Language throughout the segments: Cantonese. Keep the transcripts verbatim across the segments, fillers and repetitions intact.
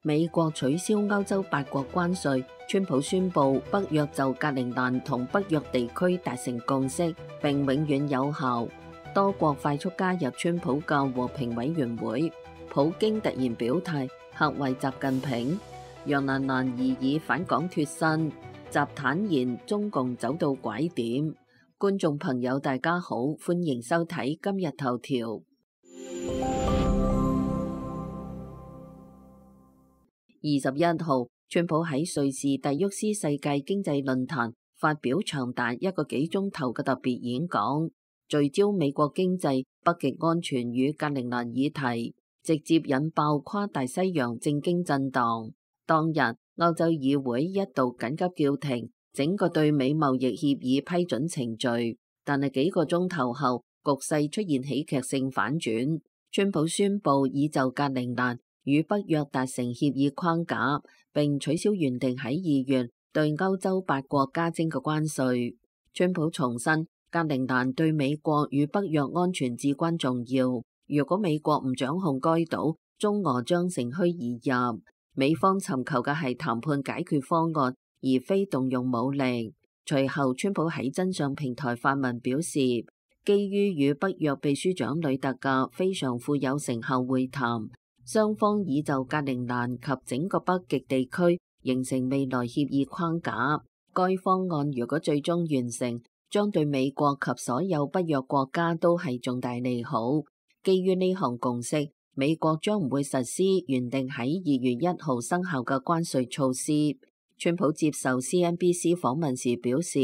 美國取消歐洲八國關稅，川普宣布北約就格陵蘭同北約地區達成共識並永遠有效。多國快速加入川普嘅和平委員會。普京突然表態嚇壞習近平。楊蘭蘭擬議返港脫身，習坦言中共走到拐點。觀眾朋友大家好，歡迎收睇今日頭條。二十一號，川普喺瑞士達沃斯世界經濟論壇發表長達一個幾鐘頭嘅特別演講，聚焦美國經濟、北極安全與格陵蘭議題，直接引爆跨大西洋政經震盪。當日，歐洲議會一度緊急叫停整個對美貿易協議批准程序，但係幾個鐘頭後，局勢出現喜劇性反轉，川普宣布已就格陵蘭與北約達成協議框架，並取消原定喺二月對歐洲八國加徵嘅關稅。川普重申，格陵蘭對美國與北約安全至關重要。如果美國唔掌控該島，中俄將乘虛而入。美方尋求嘅係談判解決方案，而非動用武力。隨後，川普喺真相平台發文表示，基於與北約秘書長呂特嘅非常富有成效會談，雙方已就格陵蘭及整個北極地區形成未來協議框架。該方案如果最終完成，將對美國及所有北約國家都係重大利好。基於呢項共識，美國將唔會實施原定喺二月一號生效嘅關稅措施。川普接受 C N B C 訪問時表示，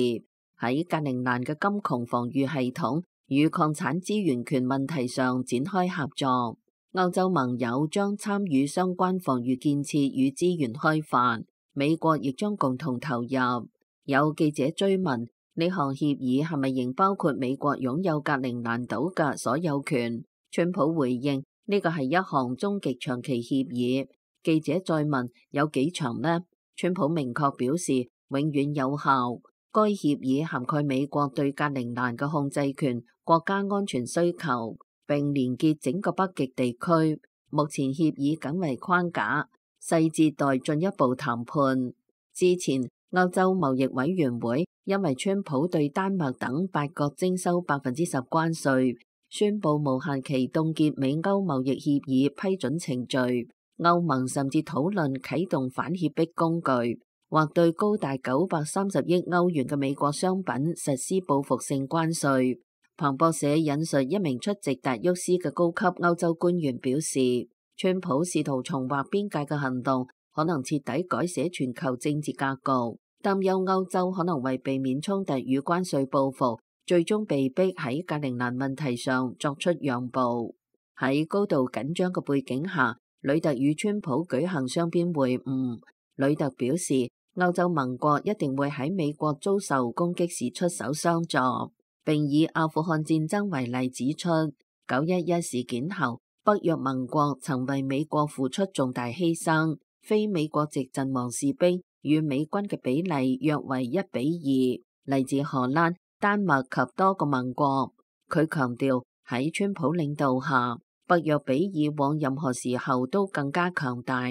喺格陵蘭嘅金窮防禦系統與礦產資源權問題上展開合作。歐洲盟友將參與相關防禦建設與資源開發，美國亦將共同投入。有記者追問呢項協議係咪仍包括美國擁有格陵蘭島嘅所有權？川普回應呢個係一項終極長期協議。記者再問有幾長呢？川普明確表示永遠有效。該協議涵蓋美國對格陵蘭嘅控制權、國家安全需求，並連結整個北極地區。目前協議僅為框架，細節待進一步談判。之前歐洲貿易委員會因為川普對丹麥等八國徵收百分之十關稅，宣布無限期凍結美歐貿易協議批准程序。歐盟甚至討論啟動反脅迫工具，或對高達九百三十億歐元嘅美國商品實施報復性關稅。彭博社引述一名出席達沃斯嘅高級歐洲官員表示，川普試圖重劃邊界嘅行動可能徹底改寫全球政治格局，擔憂歐洲可能為避免衝突與關稅報復，最終被逼喺格陵蘭問題上作出讓步。喺高度緊張嘅背景下，呂特與川普舉行雙邊會晤。呂特表示，歐洲盟國一定會喺美國遭受攻擊時出手相助。並以阿富汗戰爭為例指出，九一一事件後，北約盟國曾為美國付出重大犧牲，非美國籍陣亡士兵與美軍嘅比例約為一比二，嚟自荷蘭、丹麥及多個盟國。佢強調喺川普領導下，北約比以往任何時候都更加強大。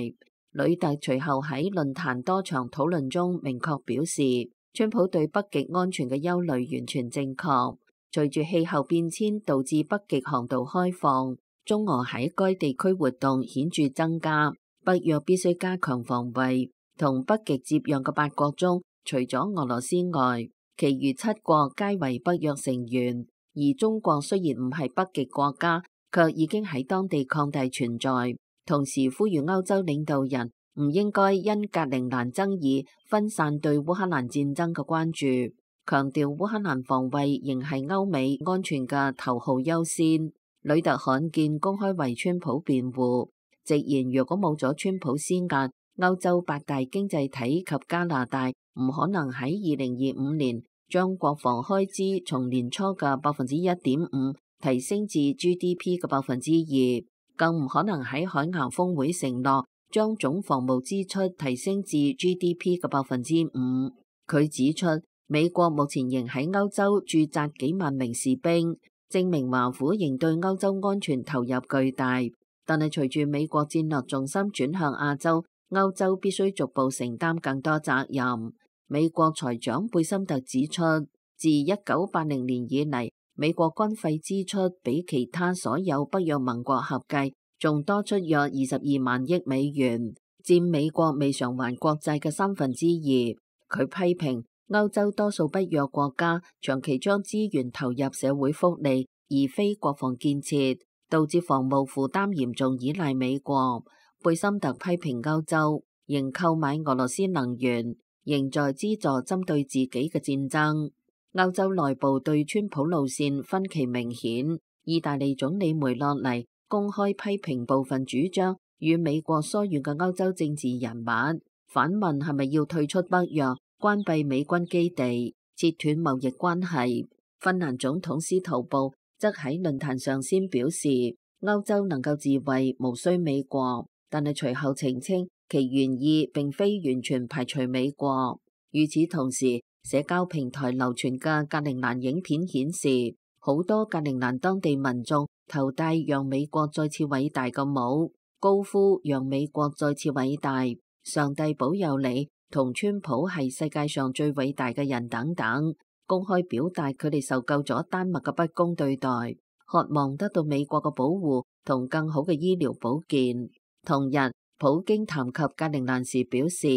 呂特隨後喺論壇多場討論中明確表示，川普對北極安全嘅憂慮完全正確。隨住氣候變遷導致北極航道開放，中俄喺該地區活動顯著增加，北約必須加強防衛。同北極接壤嘅八國中，除咗俄羅斯外，其餘七國皆為北約成員。而中國雖然唔係北極國家，卻已經喺當地擴大存在。同時呼籲歐洲領導人唔應該因格陵蘭爭議分散對烏克蘭戰爭嘅關注，強調烏克蘭防衛仍係歐美安全嘅頭號優先。呂特罕見公開為川普辯護，直言如果冇咗川普施壓，歐洲八大經濟體及加拿大唔可能喺二零二五年將國防開支從年初嘅百分之一點五提升至 G D P 嘅百分之二，更唔可能喺海牙峰會承諾將總防務支出提升至 G D P 嘅百分之五。佢指出，美國目前仍喺歐洲駐紮幾萬名士兵，證明華府仍對歐洲安全投入巨大。但係隨住美國戰略重心轉向亞洲，歐洲必須逐步承擔更多責任。美國財長貝森特指出，自一九八零年以嚟，美國軍費支出比其他所有北約盟國合計仲多出約二十二萬億美元，佔美國未償還國債嘅三分之二。佢批評歐洲多數北約國家長期將資源投入社會福利，而非國防建設，導致防務負擔嚴重依賴美國。貝森特批評歐洲仍購買俄羅斯能源，仍在資助針對自己嘅戰爭。歐洲內部對川普路線分歧明顯，意大利總理梅洛尼公開批評部分主張與美國疏遠嘅歐洲政治人物，反問係咪要退出北約、關閉美軍基地、切斷貿易關係。芬蘭總統司徒布則喺論壇上先表示，歐洲能夠自衛，無需美國。但係隨後澄清，其原意並非完全排除美國。與此同時，社交平台流傳嘅格陵蘭影片顯示，好多格陵蘭當地民眾頭戴讓美國再次偉大嘅帽，高呼讓美國再次偉大、上帝保佑你同川普係世界上最偉大嘅人等等，公開表達佢哋受夠咗丹麥嘅不公對待，渴望得到美國嘅保護同更好嘅醫療保健。同日，普京談及格陵蘭時表示，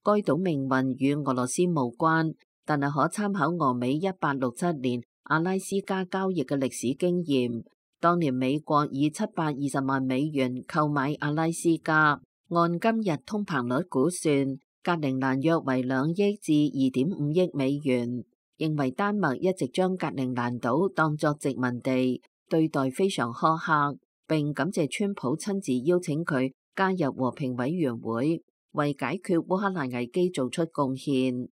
該島命運與俄羅斯無關，但係可參考俄美一八六七年阿拉斯加交易嘅歷史經驗。當年美國以七百二十萬美元購買阿拉斯加，按今日通膨率估算，格陵蘭約為兩億至二點五億美元。認為丹麥一直將格陵蘭島當作殖民地，對待非常苛刻。並感謝川普親自邀請佢加入和平委員會，為解決烏克蘭危機做出貢獻。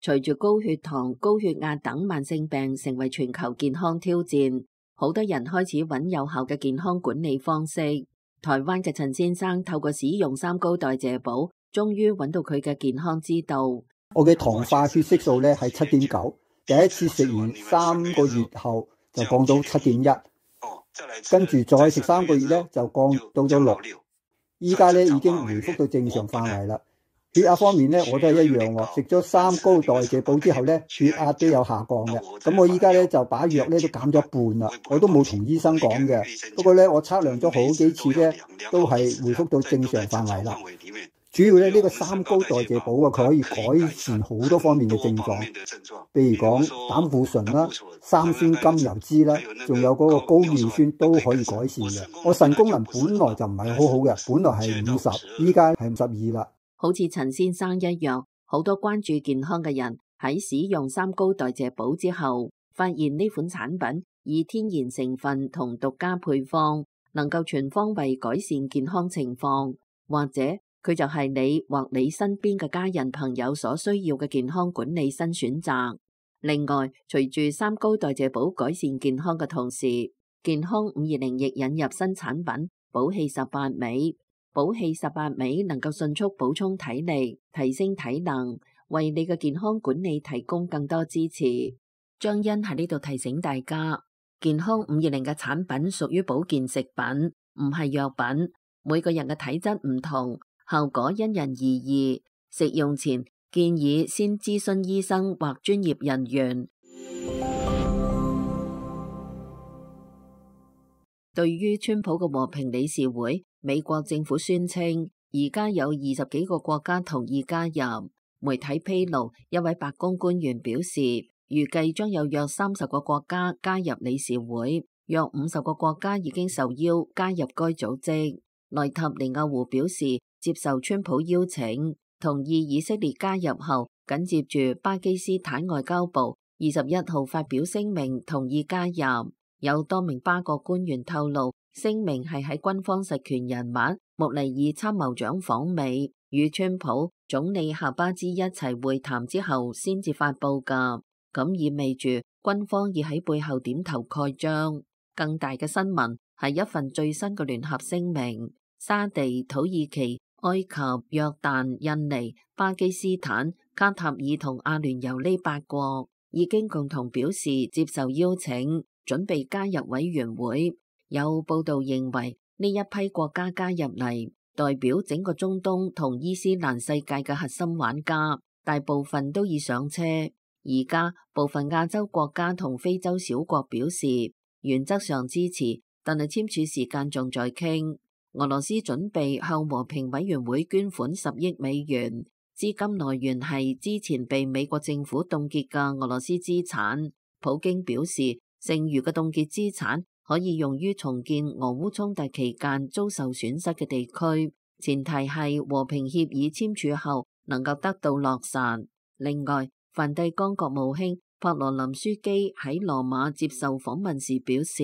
隨住高血糖、高血壓等慢性病成為全球健康挑戰，好多人開始揾有效嘅健康管理方式。台灣嘅陳先生透過使用三高代謝寶，終於揾到佢嘅健康之道。我嘅糖化血色素咧係七點九。第一次食完三個月後就降到七點一，跟住再食三個月咧就降到咗六，依家咧已經回復到正常範圍啦。血壓方面咧我都係一樣喎，食咗三高代謝寶之後咧血壓都有下降嘅。咁我依家咧就把藥咧都減咗一半啦，我都冇同醫生講嘅。不過咧我測量咗好幾次咧都係回復到正常範圍啦。主要咧呢個三高代謝寶啊，佢可以改善好多方面嘅症狀，譬如講膽固醇啦、三酸甘油酯啦，仲有嗰個高尿酸都可以改善嘅。我腎功能本來就唔係好好嘅，本來係五十，依家係五十二啦。好似陳先生一樣，好多關注健康嘅人喺使用三高代謝寶之後，發現呢款產品以天然成分同獨家配方，能夠全方位改善健康情況，或者佢就係你或你身邊嘅家人朋友所需要嘅健康管理新選擇。另外，隨住三高代謝寶改善健康嘅同時，健康五二零亦引入新產品寶氣十八味。寶氣十八味能夠迅速補充體力，提升體能，為你嘅健康管理提供更多支持。張欣喺呢度提醒大家，健康五二零嘅產品屬於保健食品，唔係藥品。每個人嘅體質唔同，效果因人而異，食用前建議先諮詢醫生或專業人員。對於川普嘅和平理事會，美國政府宣稱而家有二十幾個國家同意加入。媒體披露，一位白宮官員表示，預計將有約三十個國家加入理事會，約五十個國家已經受邀加入該組織。內塔尼亞胡表示接受川普邀請，同意以色列加入後，緊接住巴基斯坦外交部二十一號發表聲明同意加入。有多名巴國官員透露，聲明係喺軍方實權人物穆尼爾參謀長訪美與川普總理夏巴茲一齊會談之後先至發佈噶，咁意味住軍方已喺背後點頭蓋章。更大嘅新聞係一份最新嘅聯合聲明，沙地、土耳其、埃及、約旦、印尼、巴基斯坦、卡塔爾同阿聯酋呢八國已經共同表示接受邀請，準備加入委員會。有報道認為呢一批國家加入嚟，代表整個中東同伊斯蘭世界嘅核心玩家，大部分都已上車。而家部分亞洲國家同非洲小國表示原則上支持，但係簽署時間仲在傾。俄羅斯準備向和平委員會捐款十億美元，資金來源係之前被美國政府凍結嘅俄羅斯資產。普京表示，剩餘嘅凍結資產可以用於重建俄烏衝突期間遭受損失嘅地區，前提係和平協議簽署後能夠得到落實。另外，梵蒂岡國務卿帕羅林樞機喺羅馬接受訪問時表示，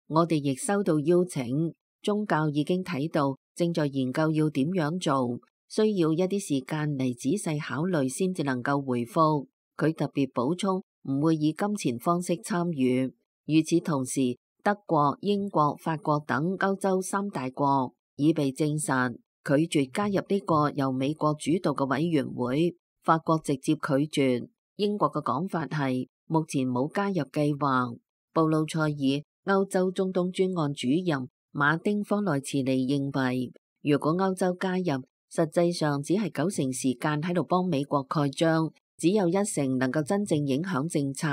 我哋亦收到邀請，宗教已經睇到，正在研究要點樣做，需要一啲時間嚟仔細考慮先至能夠回覆。佢特別補充，唔會以金錢方式參與。與此同時，德國、英國、法國等歐洲三大國已被證實拒絕加入呢個由美國主導嘅委員會。法國直接拒絕，英國嘅講法係目前冇加入計劃。布魯塞爾歐洲中東專案主任馬丁科內茨尼認為，如果歐洲加入，實際上只係九成時間喺度幫美國蓋章，只有一成能夠真正影響政策。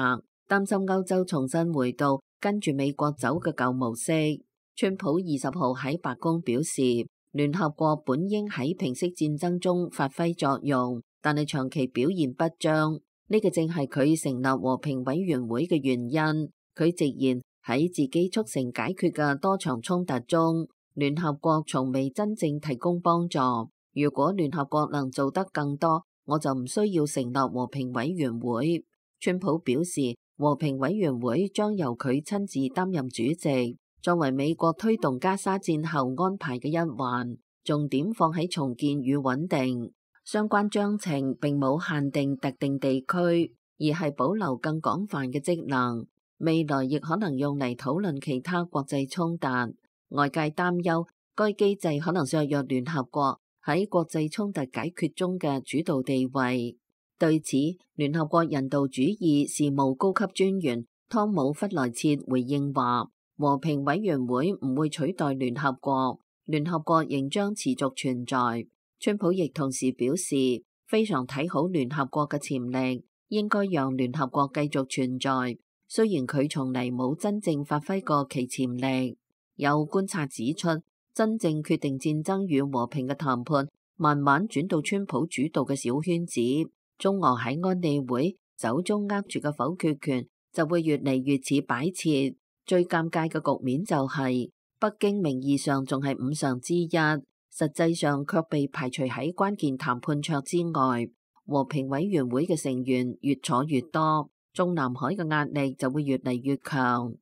擔心歐洲重新回到跟住美國走嘅舊模式。川普二十號喺白宮表示，聯合國本應喺平息戰爭中發揮作用，但係長期表現不彰，呢個正係佢成立和平委員會嘅原因。佢直言喺自己促成解決嘅多場衝突中，聯合國從未真正提供幫助。如果聯合國能做得更多，我就唔需要成立和平委員會。川普表示，和平委員會將由佢親自擔任主席，作為美國推動加沙戰後安排嘅一環，重點放喺重建與穩定。相關章程並冇限定特定地區，而係保留更廣泛嘅職能。未來亦可能用嚟討論其他國際衝突。外界擔憂該機制可能削弱聯合國喺國際衝突解決中嘅主導地位。對此，聯合國人道主義事務高級專員湯姆弗萊切回應話，和平委員會唔會取代聯合國，聯合國仍將持續存在。川普亦同時表示，非常睇好聯合國嘅潛力，應該讓聯合國繼續存在，雖然佢從嚟冇真正發揮過其潛力。有觀察指出，真正決定戰爭與和平嘅談判慢慢轉到川普主導嘅小圈子。中俄喺安理會手中握住嘅否決權就會越嚟越似擺設。最尷尬嘅局面就係、是、北京名義上仲係五常之一，實際上卻被排除喺關鍵談判桌之外。和平委員會嘅成員越坐越多，中南海嘅壓力就會越嚟越強。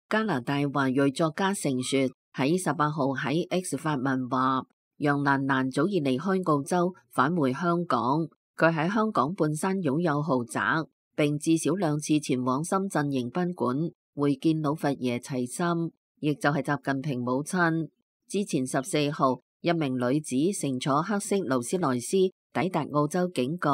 加拿大華裔作家盛雪喺十八號喺 X 發文話，楊蘭蘭早已離開澳洲返回香港，佢喺香港半山擁有豪宅，並至少兩次前往深圳迎賓館會見老佛爺齊心，亦就係習近平母親。之前十四號，一名女子乘坐黑色勞斯萊斯抵達澳洲警局，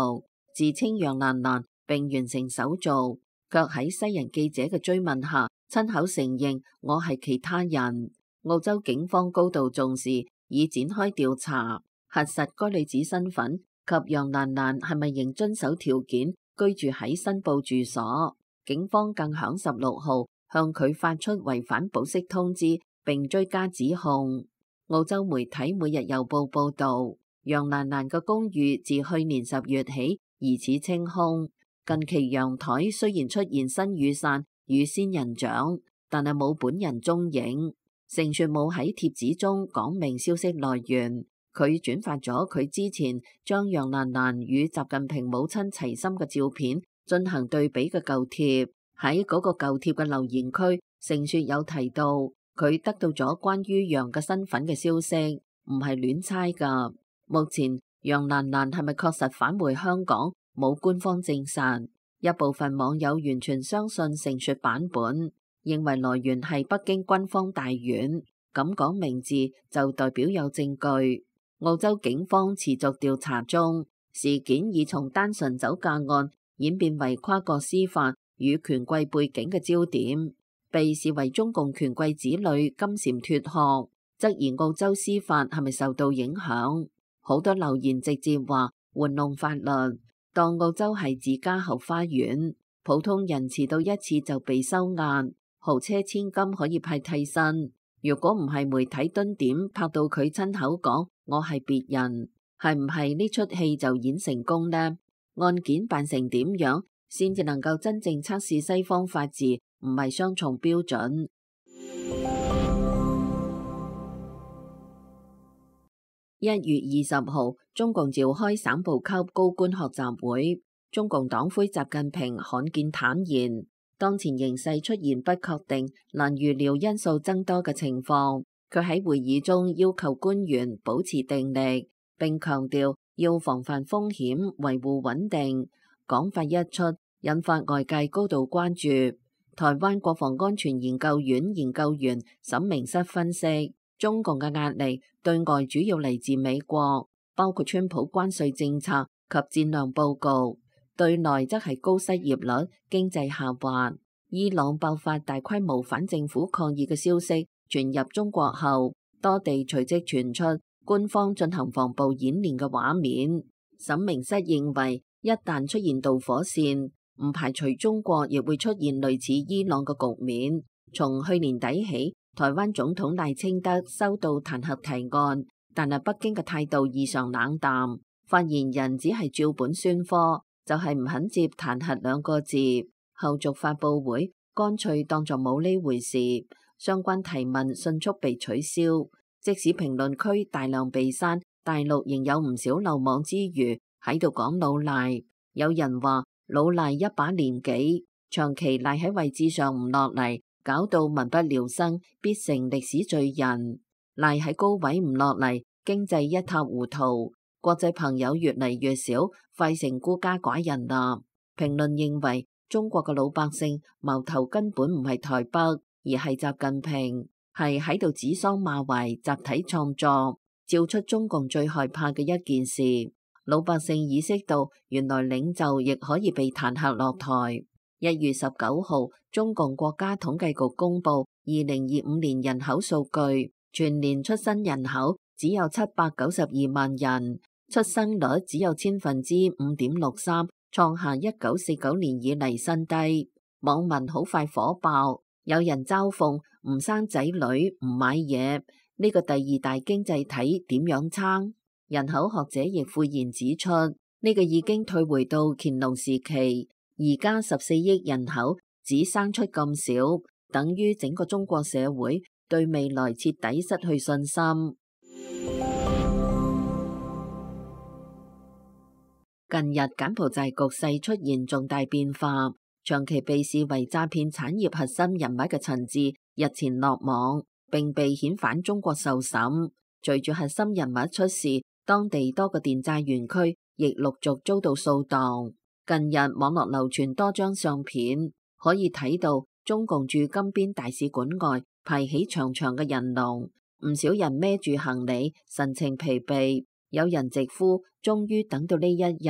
自稱楊蘭蘭並完成手續，卻喺西人記者嘅追問下親口承認我係其他人。澳洲警方高度重視，已展開調查，核實該女子身份及楊蘭蘭係咪仍遵守條件居住喺申報住所。警方更響十六號向佢發出違反保釋通知，並追加指控。澳洲媒體《每日郵報》報道，楊蘭蘭嘅公寓自去年十月起疑似清空。近期陽台雖然出現新雨傘與仙人掌，但係冇本人蹤影。盛雪冇喺帖子中講明消息來源，佢轉發咗佢之前將楊蘭蘭與習近平母親齊心嘅照片進行對比嘅舊帖。喺嗰個舊帖嘅留言區，盛雪有提到佢得到咗關於楊嘅身份嘅消息，唔係亂猜噶。目前楊蘭蘭係咪確實返回香港，冇官方證實。一部分網友完全相信盛雪版本，認為來源係北京軍方大院，咁講名字就代表有證據。澳洲警方持續調查中，事件已從單純酒駕案演變為跨國司法與權貴背景嘅焦點，被視為中共權貴子女金蟬脫殼，質疑澳洲司法係咪受到影響。好多留言直接話玩弄法律，當澳洲係自家後花園，普通人遲到一次就被收押，豪車千金可以派替身。如果唔係媒體蹲點拍到佢親口講我係別人，係唔係呢出戲就演成功呢？案件辦成點樣先至能夠真正測試西方法治唔係雙重標準？一月二十號，中共召開省部級高官學習會，中共黨魁習近平罕見坦言，當前形勢出現不確定、難預料因素增多嘅情況。佢喺會議中要求官員保持定力，並強調要防範風險、維護穩定。講法一出，引發外界高度關注。台灣國防安全研究院研究員沈明室分析，中共嘅壓力對外主要嚟自美國，包括川普關稅政策及戰略佈局；對內則係高失業率、經濟下滑。伊朗爆發大規模反政府抗議嘅消息傳入中國後，多地隨即傳出官方進行防暴演練嘅畫面。沈明室認為，一旦出現導火線，唔排除中國亦會出現類似伊朗嘅局面。從去年底起，台灣總統賴清德收到彈劾提案，但係北京嘅態度異常冷淡，發言人只係照本宣科，就係唔肯接彈劾兩個字。後續發佈會乾脆當作冇呢回事，相關提問迅速被取消。即使評論區大量被刪，大陸仍有唔少漏網之魚喺度講老賴。有人話老賴一把年紀，長期賴喺位置上唔落嚟，搞到民不聊生，必成歷史罪人。賴喺高位唔落嚟，經濟一塌糊塗，國際朋友越嚟越少，快成孤家寡人啦。評論認為，中國嘅老百姓矛頭根本唔係台北，而係習近平，係喺度指桑罵槐，集體創作，照出中共最害怕嘅一件事。老百姓意識到，原來領袖亦可以被彈劾落台。一月十九號，中共國家統計局公布二零二五年人口數據，全年出生人口只有七百九十二萬人，出生率只有千分之五點六三，創下一九四九年以嚟新低。網民好快火爆，有人嘲諷唔生仔女唔買嘢，呢個第二大經濟體點樣撐？人口學者亦誨然指出，呢個已經退回到乾隆時期，而家十四億人口只生出咁少，等於整個中國社會對未來徹底失去信心。近日柬埔寨局勢出現重大變化，長期被視為詐騙產業核心人物嘅陳志日前落網，並被遣返中國受審。隨住核心人物出事，當地多個電債園區亦陸續遭到掃蕩。近日網絡流傳多張相片，可以睇到中共駐金邊大使館外排起長長嘅人龍，唔少人孭住行李，神情疲憊。有人直呼終於等到呢一日。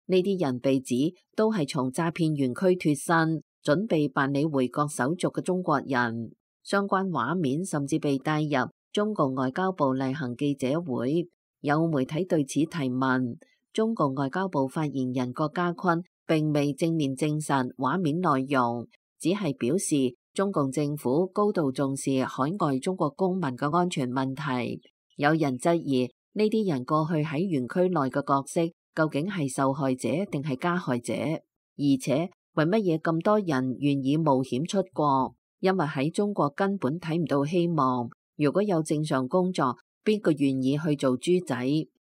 呢啲人被指都係從詐騙園區脫身，準備辦理回國手續嘅中國人。相關畫面甚至被帶入中共外交部例行記者會。有媒體對此提問，中共外交部發言人郭家坤並未正面證實畫面內容，只係表示中共政府高度重視海外中國公民嘅安全問題。有人質疑呢啲人過去喺園區內嘅角色究竟係受害者定係加害者？而且為乜嘢咁多人願意冒險出國？因為喺中國根本睇唔到希望。如果有正常工作，邊個願意去做豬仔？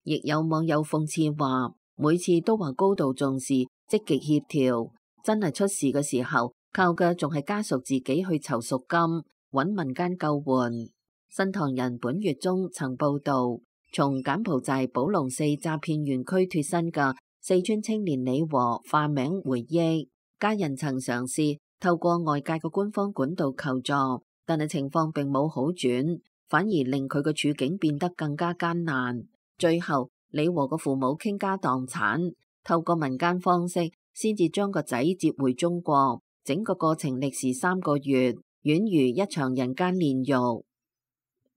亦有網友諷刺話，每次都話高度重視、積極協調，真係出事嘅時候，靠嘅仲係家屬自己去籌贖金，揾民間救援。新唐人本月中曾報道，從柬埔寨寶龍寺詐騙園區脫身嘅四川青年李和化名回憶，家人曾嘗試透過外界嘅官方管道求助，但係情況並冇好轉，反而令佢嘅處境變得更加艱難。最後，李和嘅父母傾家蕩產，透過民間方式先至將個仔接回中國。整個過程歷時三個月，宛如一場人間煉獄。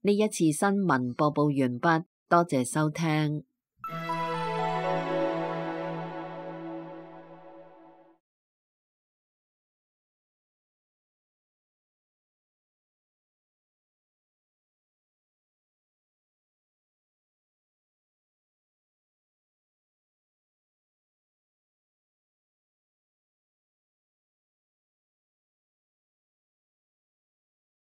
呢一次新聞播報完畢，多謝收聽。